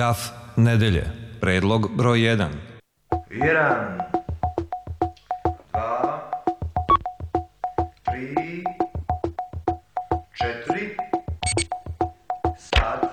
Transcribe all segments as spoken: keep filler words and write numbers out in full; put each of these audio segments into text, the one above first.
Graf nedelje. Predlog broj jedan. jedan, dva, tri, četiri, sad.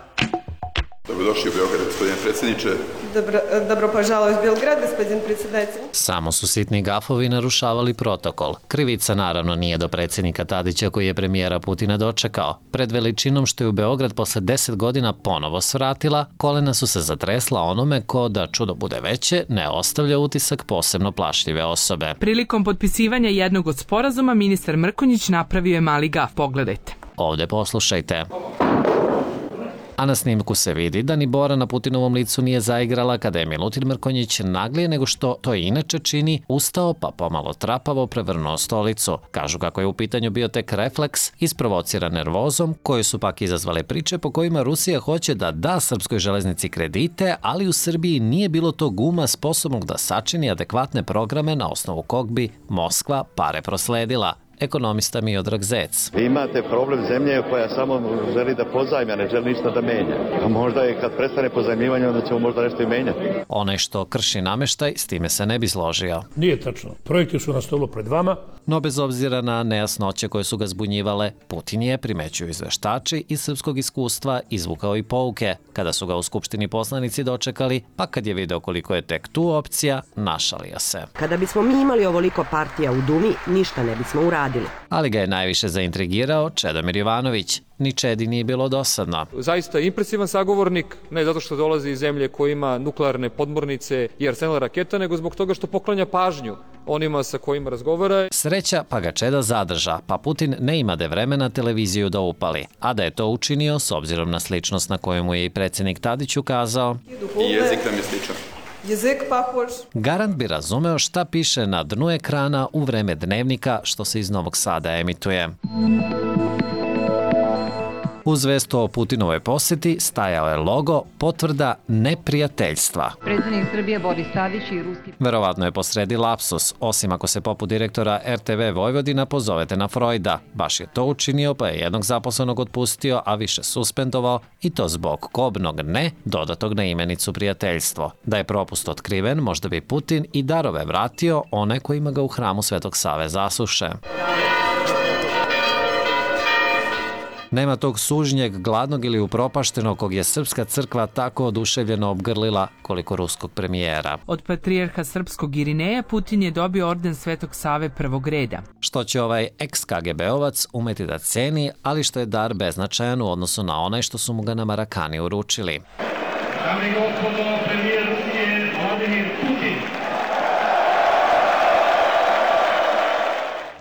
Dobrodošli u Beograd, gospodine predsjedniče. Dobro, dobro požalio u Belgrad, gospodin predsjedatelj. Samo su sitni gafovi narušavali protokol. Krivica naravno nije do predsjednika Tadića koji je premijera Putina dočekao. Pred veličinom što je u Beograd posle deset godina ponovo svratila, kolena su se zatresla onome ko, da čudo bude veće, ne ostavlja utisak posebno plašljive osobe. Prilikom potpisivanja jednog od sporazuma, ministar Mrkonjić napravio je mali gaf. Pogledajte. Ovde poslušajte. A na snimku se vidi da ni Bora na Putinovom licu nije zaigrala kada je Milutin Mrkonjić naglije nego što to inače čini, ustao pa pomalo trapavo prevrnuo stolicu. Kažu kako je u pitanju bio tek refleks, isprovociran nervozom, koje su pak izazvale priče po kojima Rusija hoće da da srpskoj železnici kredite, ali u Srbiji nije bilo tog uma sposobnog da sačini adekvatne programe na osnovu kog bi Moskva pare prosledila. Ekonomista Miodrag Zec. Vi imate problem zemlje koja samo želi da pozajmi, a ne želi ništa da menja. A možda je kad prestane pozajmivanje, onda ćemo možda nešto i menjati. Onaj što krši nameštaj, s time se ne bi složio. Nije tačno. Projekti su na stolu pred vama. No bez obzira na nejasnoće koje su ga zbunjivale, Putin je, primećuju izveštači, iz srpskog iskustva izvukao i pouke. Kada su ga u Skupštini poslanici dočekali, pa kad je video koliko je tek tu opcija, našalio se. Kada bismo mi imali ovoliko partija u Dumi, ništa ne bismo uradili. Ali ga je najviše zaintrigirao Čedomir Jovanović. Ni Čedi nije bilo dosadno. Zaista impresivan sagovornik, ne zato što dolazi iz zemlje koja ima nuklearne podmornice i arsenal raketa, nego zbog toga što poklanja pažnju onima sa kojima razgovara. Sreća pa ga Čeda zadrža, pa Putin ne imade vremena televiziju da upali. A da je to učinio, s obzirom na sličnost na koju mu je i predsjednik Tadić ukazao. I jezik nam je sličan. Jezik pahož. Garant bi razumeo šta piše na dnu ekrana u vreme dnevnika što se iz Novog Sada emituje. Uz vestu o Putinovoj poseti stajao je logo potvrda neprijateljstva. Predsjednik Srbije Boris Tadić i ruski... Verovatno je posredi lapsus, osim ako se poput direktora er te ve Vojvodina pozovete na Freuda. Baš je to učinio pa je jednog zaposlenog otpustio, a više suspendovao i to zbog kobnog ne dodatog na imenicu prijateljstvo. Da je propust otkriven, možda bi Putin i darove vratio one kojima ga u hramu Svetog Save zasuše. Nema tog sužnjeg, gladnog ili upropaštenog kog je srpska crkva tako oduševljeno obgrlila koliko ruskog premijera. Od patrijarha srpskog Irineja Putin je dobio orden Svetog Save prvog reda. Što će ovaj ex-ka ge be ovac umeti da ceni, ali što je dar beznačajan u odnosu na onaj što su mu ga na Marakani uručili. Dame i gospodo, premijer Rusije Vladimir Putin.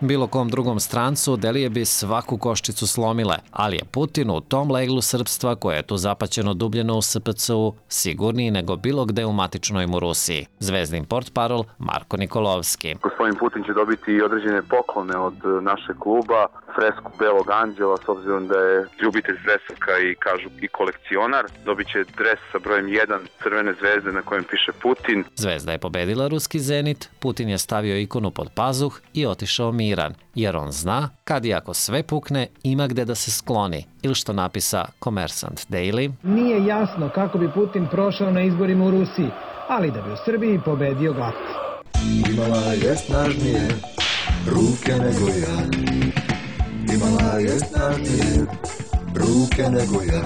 Bilo kom drugom strancu Delije bi svaku koščicu slomile, ali je Putin u tom leglu srpstva koje je tu zapaćeno dubljeno u es pe ce u sigurniji nego bilo gde u matičnoj mu Rusiji. Zvezdin portparol Marko Nikolovski. Gospodin Putin će dobiti određene poklone od našeg kluba, fresku Belog anđela, s obzirom da je ljubitelj zvezaka i kažu i kolekcionar. Dobit će dres sa brojem jedan crvene zvezde na kojem piše Putin. Zvezda je pobedila ruski Zenit, Putin je stavio ikonu pod pazuh i otišao miran, jer on zna kad i ako sve pukne ima gde da se skloni, ili što napisa Kommersant Daily. Nije jasno kako bi Putin prošao na izborima u Rusiji, ali da bi u Srbiji pobedio glatko. Imala je snažnije ruke nego ja. Imala je snažnije ruke nego ja.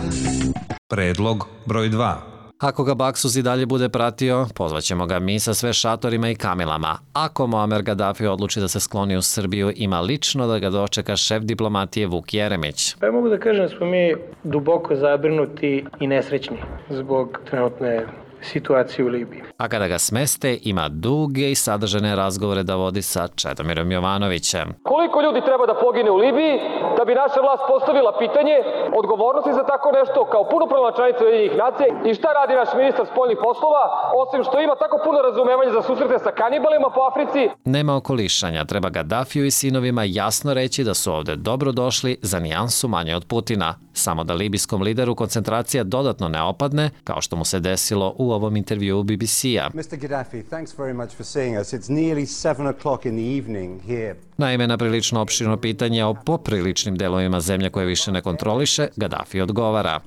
Predlog broj dva. Ako ga Baksuz i dalje bude pratio, pozvaćemo ga mi sa sve šatorima i kamilama. Ako Muamer Gaddafi odluči da se skloni u Srbiju, ima lično da ga dočeka šef diplomatije Vuk Jeremić. Pa ja mogu da kažem da smo mi duboko zabrinuti i nesrećni zbog trenutne situacije u Libiji. A kada ga smeste, ima duge i sadržane razgovore da vodi sa Čedomirom Jovanovićem. Koliko ljudi treba da pogine u Libiji da bi naša vlast postavila pitanje odgovornosti za tako nešto kao punopravna članica Ujedinjenih nacija i šta radi naš ministar spoljnih poslova, osim što ima tako puno razumevanja za susrete sa kanibalima po Africi? Nema okolišanja, treba Gaddafiju i sinovima jasno reći da su ovde dobro došli za nijansu manje od Putina. Samo da libijskom lideru koncentracija dodatno ne opadne, kao što mu se desilo u ovom intervjuu be be ce-a. mister Gaddafi, thanks very much for seeing us. It's nearly seven o'clock in the evening here. Naime, na prilično opširno pitanje o popriličnim delovima zemlje koje više ne kontroliše, Gaddafi odgovara.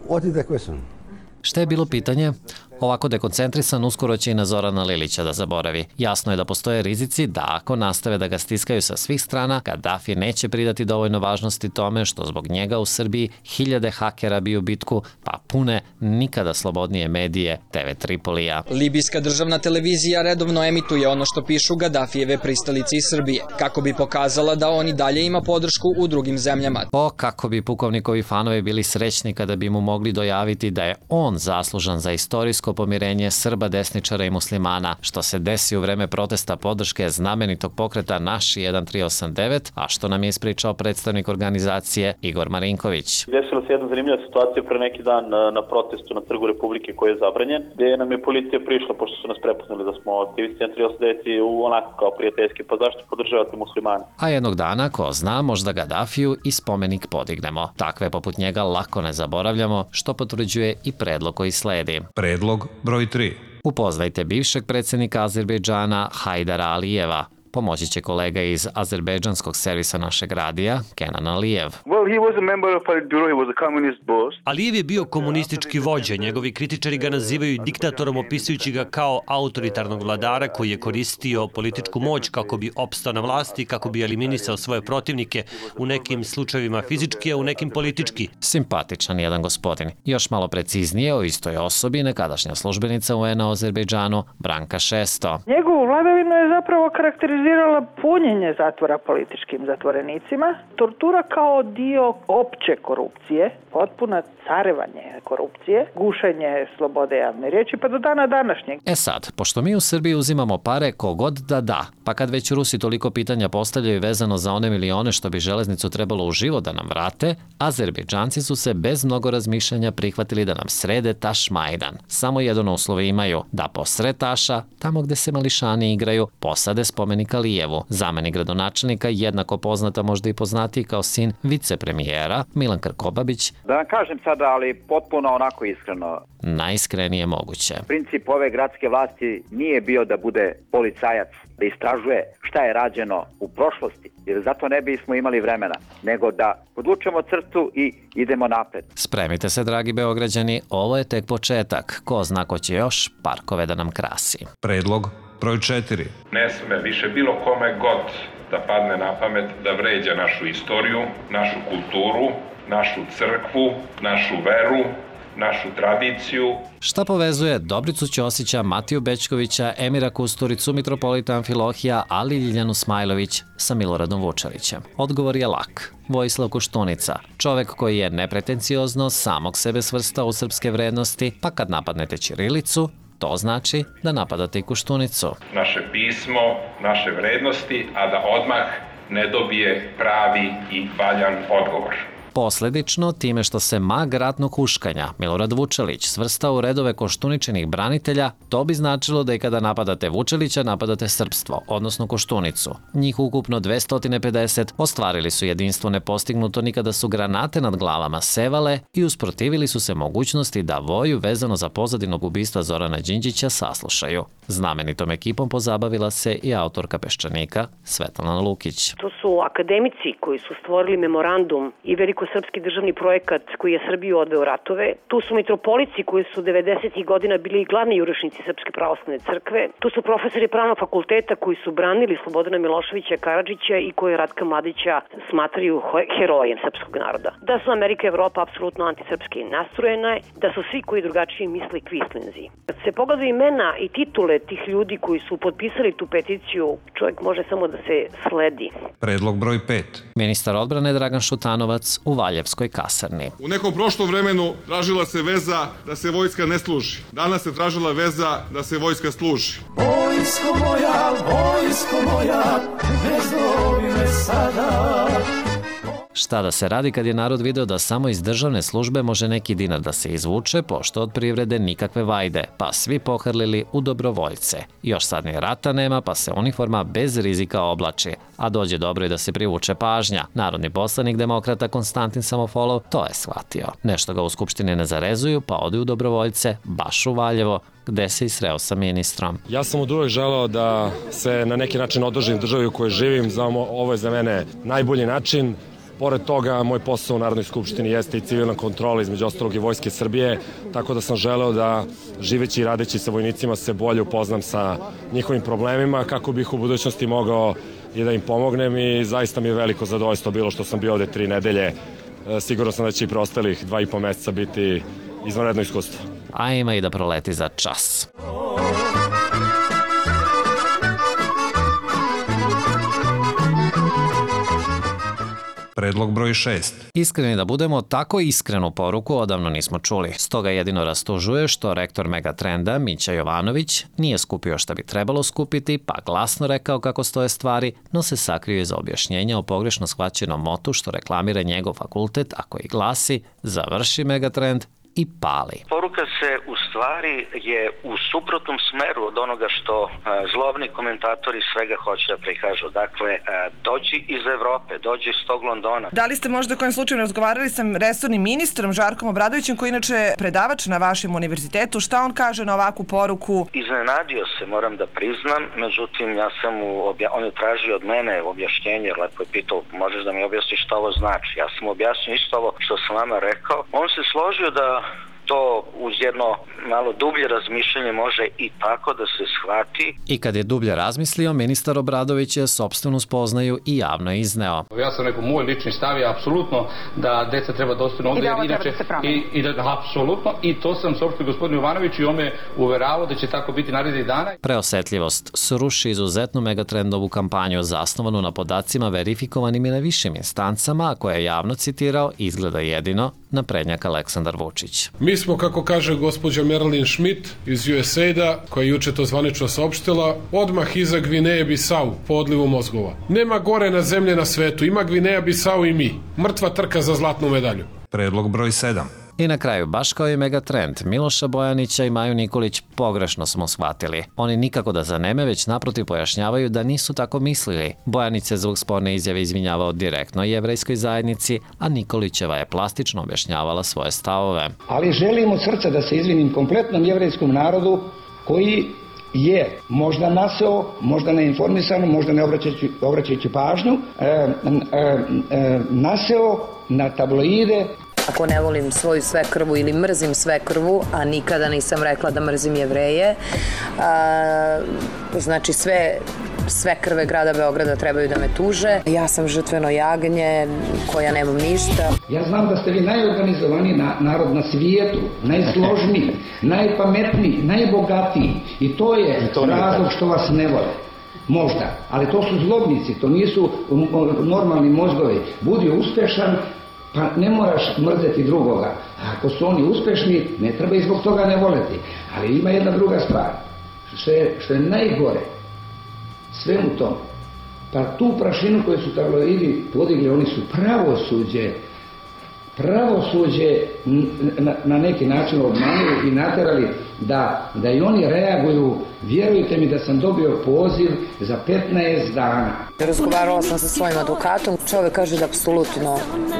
What is the question? Šta je bilo pitanje? Ovako dekoncentrisan uskoro će i na Zorana Lilića da zaboravi. Jasno je da postoje rizici da ako nastave da ga stiskaju sa svih strana, Kadafi neće pridati dovoljno važnosti tome što zbog njega u Srbiji hiljade hakera biju bitku, pa pune nikada slobodnije medije te ve Tripolija. Libijska državna televizija redovno emituje ono što pišu Gadafijeve pristalice iz Srbije, kako bi pokazala da on i dalje ima podršku u drugim zemljama. O, kako bi pukovnikovi fanovi bili srećni kada bi mu mogli dojaviti da je on zaslužan za istorijsko pomirenje Srba, desničara i muslimana, što se desi u vreme protesta podrške znamenitog pokreta Naši jedan tri osam devet, a što nam je ispričao predstavnik organizacije Igor Marinković. Desila se jedna zanimljiva situacija pre neki dan na protestu na Trgu Republike koji je zabranjen, gde nam je policija prišla, pošto su nas prepoznali da smo aktivisti jedan tri osam devet u onako kao prijateljski, pa zašto podržavate muslimane? A jednog dana, ko zna, možda Gadafiju i spomenik podignemo. Takve poput njega lako ne zaboravljamo, što potvrđuje i predlog koji sledi. Predlog broj tri. Upoznajte bivšeg predsjednika Azerbejdžana Hajdara Alijeva. Pomoći će kolega iz azerbejdžanskog servisa našeg radija, Kenan Alijev. Alijev je bio komunistički vođa. Njegovi kritičari ga nazivaju diktatorom, opisujući ga kao autoritarnog vladara koji je koristio političku moć kako bi opstao na vlasti, kako bi eliminisao svoje protivnike, u nekim slučajevima fizički, a u nekim politički. Simpatičan jedan gospodin. Još malo preciznije o istoj osobi nekadašnja službenica U N-a u Azerbejdžanu, Branka Šesto. Njegovu vladavinu je zapravo karakterizirala punjenje zatvora političkim zatvorenicima, tortura kao dio opće korupcije, potpuna carevanje korupcije, gušenje slobode javne riječi, pa do dana današnjeg. E sad, pošto mi u Srbiji uzimamo pare kogod da da, pa kad već Rusi toliko pitanja postavljaju vezano za one milione što bi železnicu trebalo u život da nam vrate, Azerbejdžanci su se bez mnogo razmišljanja prihvatili da nam srede Taš Majdan. Samo jedan uslov imaju, da posred Taša, tamo gde se mališani igraju, posade spomenik Alijevu, zamenik gradonačelnika, jednako poznata, možda i poznatiji kao sin vicepremijera, Milan Krkobabić. Da vam kažem sada, ali potpuno onako iskreno. Najiskrenije moguće. Princip ove gradske vlasti nije bio da bude policajac, da istražuje šta je rađeno u prošlosti, jer zato ne bismo imali vremena, nego da podvučemo crtu i idemo napred. Spremite se, dragi Beograđani, ovo je tek početak. Ko zna ko će još parkove da nam krasi. Predlog broj četiri. Ne sme više bilo kome god da padne na pamet da vređa našu istoriju, našu kulturu, našu crkvu, našu veru, našu tradiciju. Šta povezuje Dobricu Ćosića, Matiju Bećkovića, Emira Kusturicu, mitropolita Amfilohija, ali i Ljiljanu Smajlović sa Miloradom Vučevićem? Odgovor je lak. Vojislav Koštunica, čovek koji je nepretenciozno samog sebe svrstao u srpske vrednosti, pa kad napadnete ćirilicu, to znači da napadate i Koštunicu. Naše pismo, naše vrednosti, a da odmah ne dobije pravi i valjan odgovor. Posledično, time što se mag ratnog huškanja Milorad Vučelić svrstao u redove Koštuničinih branitelja, to bi značilo da i kada napadate Vučelića, napadate srpstvo, odnosno Koštunicu. Njih ukupno dvesta pedeset ostvarili su jedinstvo nepostignuto ni kada su granate nad glavama sevale i usprotivili su se mogućnosti da voju vezano za pozadinog ubistva Zorana Đinđića saslušaju. Znamenitom ekipom pozabavila se i autorka Peščanika Svetlana Lukić. To su akademici koji su stvorili memorandum i velikosrpski državni projekat koji je Srbiju odveo ratove. Tu su mitropolici koji su devedesetih godina bili glavni jurišnici Srpske pravoslavne crkve. Tu su profesori pravnog fakulteta koji su branili Slobodana Miloševića Karadžića i koji Ratka Mladića smatraju herojem srpskog naroda. Da su Amerika i Evropa apsolutno antisrpski nastrojene, da su svi koji drugačije misle kvislinzi. Kad se pogledaju imena i titule tih ljudi koji su potpisali tu peticiju, čovjek može samo da se sledi. Predlog broj pet. Ministar odbrane Dragan Šutanovac u Valjevskoj kasarni. U nekom prošlom vremenu tražila se veza da se vojska ne služi. Danas se tražila veza da se vojska služi. Vojsko moja, vojsko moja, ne zovi me sada. Šta da se radi kad je narod video da samo iz državne službe može neki dinar da se izvuče, pošto od privrede nikakve vajde, pa svi pohrlili u dobrovoljce. Još sad ni rata nema, pa se uniforma bez rizika oblači, a dođe dobro i da se privuče pažnja. Narodni poslanik demokrata Konstantin Samofolov to je shvatio. Nešto ga u Skupštini ne zarezuju, pa ode u dobrovoljce, baš u Valjevo, gde se i sreo sa ministrom. Ja sam od uvek želeo da se na neki način održim državi u kojoj živim, znamo, ovo je za mene najbolji način. Pored toga, moj posao u Narodnoj skupštini jeste i civilna kontrola, između ostalog i Vojske Srbije, tako da sam želeo da živeći i radeći sa vojnicima se bolje upoznam sa njihovim problemima, kako bih u budućnosti mogao i da im pomognem i zaista mi je veliko zadovoljstvo bilo što sam bio ovde tri nedelje. Sigurno sam da će i preostalih dva i po meseca biti izvanredno iskustvo. A ima i da proleti za čas. Predlog broj šest. Iskreni da budemo, tako iskrenu poruku odavno nismo čuli. Stoga jedino rastužuje što rektor Megatrenda, Mića Jovanović, nije skupio šta bi trebalo skupiti, pa glasno rekao kako stoje stvari, no se sakrio iza objašnjenja o pogrešno shvaćenom motu što reklamira njegov fakultet, a koji glasi završi Megatrend i pali. Poruka se u stvari je u suprotnom smeru od onoga što a, zlobni komentatori svega hoće da prikažu. Dakle, a, dođi iz Evrope, dođi iz tog Londona. Da li ste možda kojim slučajem razgovarali sa resornim ministrom Žarkom Obradovićem, koji inače predavač na vašem univerzitetu? Šta on kaže na ovakvu poruku? Iznenadio se, moram da priznam, međutim ja sam mu obja... on je tražio od mene objašnjenje, jer lepo je pitao, možeš da mi objasniš šta ovo znači? Ja sam mu objasnio isto ovo što sam vama rekao. On se složio da to uz jedno malo dublje razmišljanje može i tako da se shvati. I kad je dublje razmislio, ministar Obradović je sopstvenu spoznaju i javno izneo. Ja sam rekao, moj lični stav je apsolutno da deca treba da ostanu ovde. I da ovo treba da se promeni. I, i da, apsolutno, i to sam saopštio gospodinu Jovanoviću i on me uveravao da će tako biti narednih dana. Preosetljivost sruši izuzetnu Megatrendovu kampanju zasnovanu na podacima verifikovanim i na višim instancama, a koje je javno citirao, izgleda jedino naprednjak Aleksandar Vučić. Mi smo, kako kaže gospođa Marilyn Schmidt iz U S A I-da, koja je juče to zvanično saopštila, odmah iza Gvineje Bisau po odlivu mozgova. Nema gore na zemlje na svetu, ima Gvineja Bisau i mi. Mrtva trka za zlatnu medalju. Predlog broj sedam. I na kraju, baš kao i Megatrend, Miloša Bojanića i Maju Nikolić pogrešno smo shvatili. Oni nikako da zaneme, već naprotiv pojašnjavaju da nisu tako mislili. Bojanić se zbog sporne izjave izvinjavao direktno jevrejskoj zajednici, a Nikolićeva je plastično objašnjavala svoje stavove. Ali želim od srca da se izvinim kompletnom jevrejskom narodu koji je možda naseo, možda neinformisano, možda ne obraćajući, obraćajući pažnju, e, e, e, naseo na tabloide. Ako ne volim svoju svekrvu ili mrzim svekrvu, a nikada nisam rekla da mrzim Jevreje, a, znači sve sve krve grada Beograda trebaju da me tuže. Ja sam žrtveno jagnje koja nemam ništa. Ja znam da ste vi najorganizovaniji na, narod na svijetu, najsložniji, najpametniji, najbogatiji. I to je I to razlog što vas ne vole. Možda. Ali to su zlobnici, to nisu normalni mozgovi. Budi uspešan, pa ne moraš mrzeti drugoga. A ako su oni uspešni, ne treba i zbog toga ne voleti. Ali ima jedna druga stvar. Što je, što je najgore, sve u tom, pa tu prašinu koju su tabloidi podigli, oni su pravosuđe, pravosuđe na, na neki način obmanuli i naterali da, da i oni reaguju. Vjerujte mi da sam dobio poziv za petnaest dana. Razgovarala sam sa svojim advokatom. Čovjek kaže da apsolutno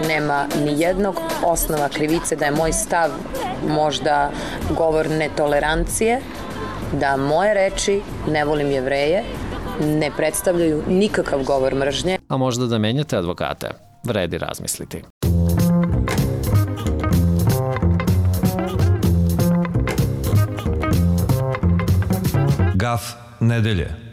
nema ni jednog osnova krivice, da je moj stav možda govor netolerancije, da moje reči, ne volim Jevreje, ne predstavljaju nikakav govor mržnje. A možda da menjate advokate? Vredi razmisliti. Gaf nedelje.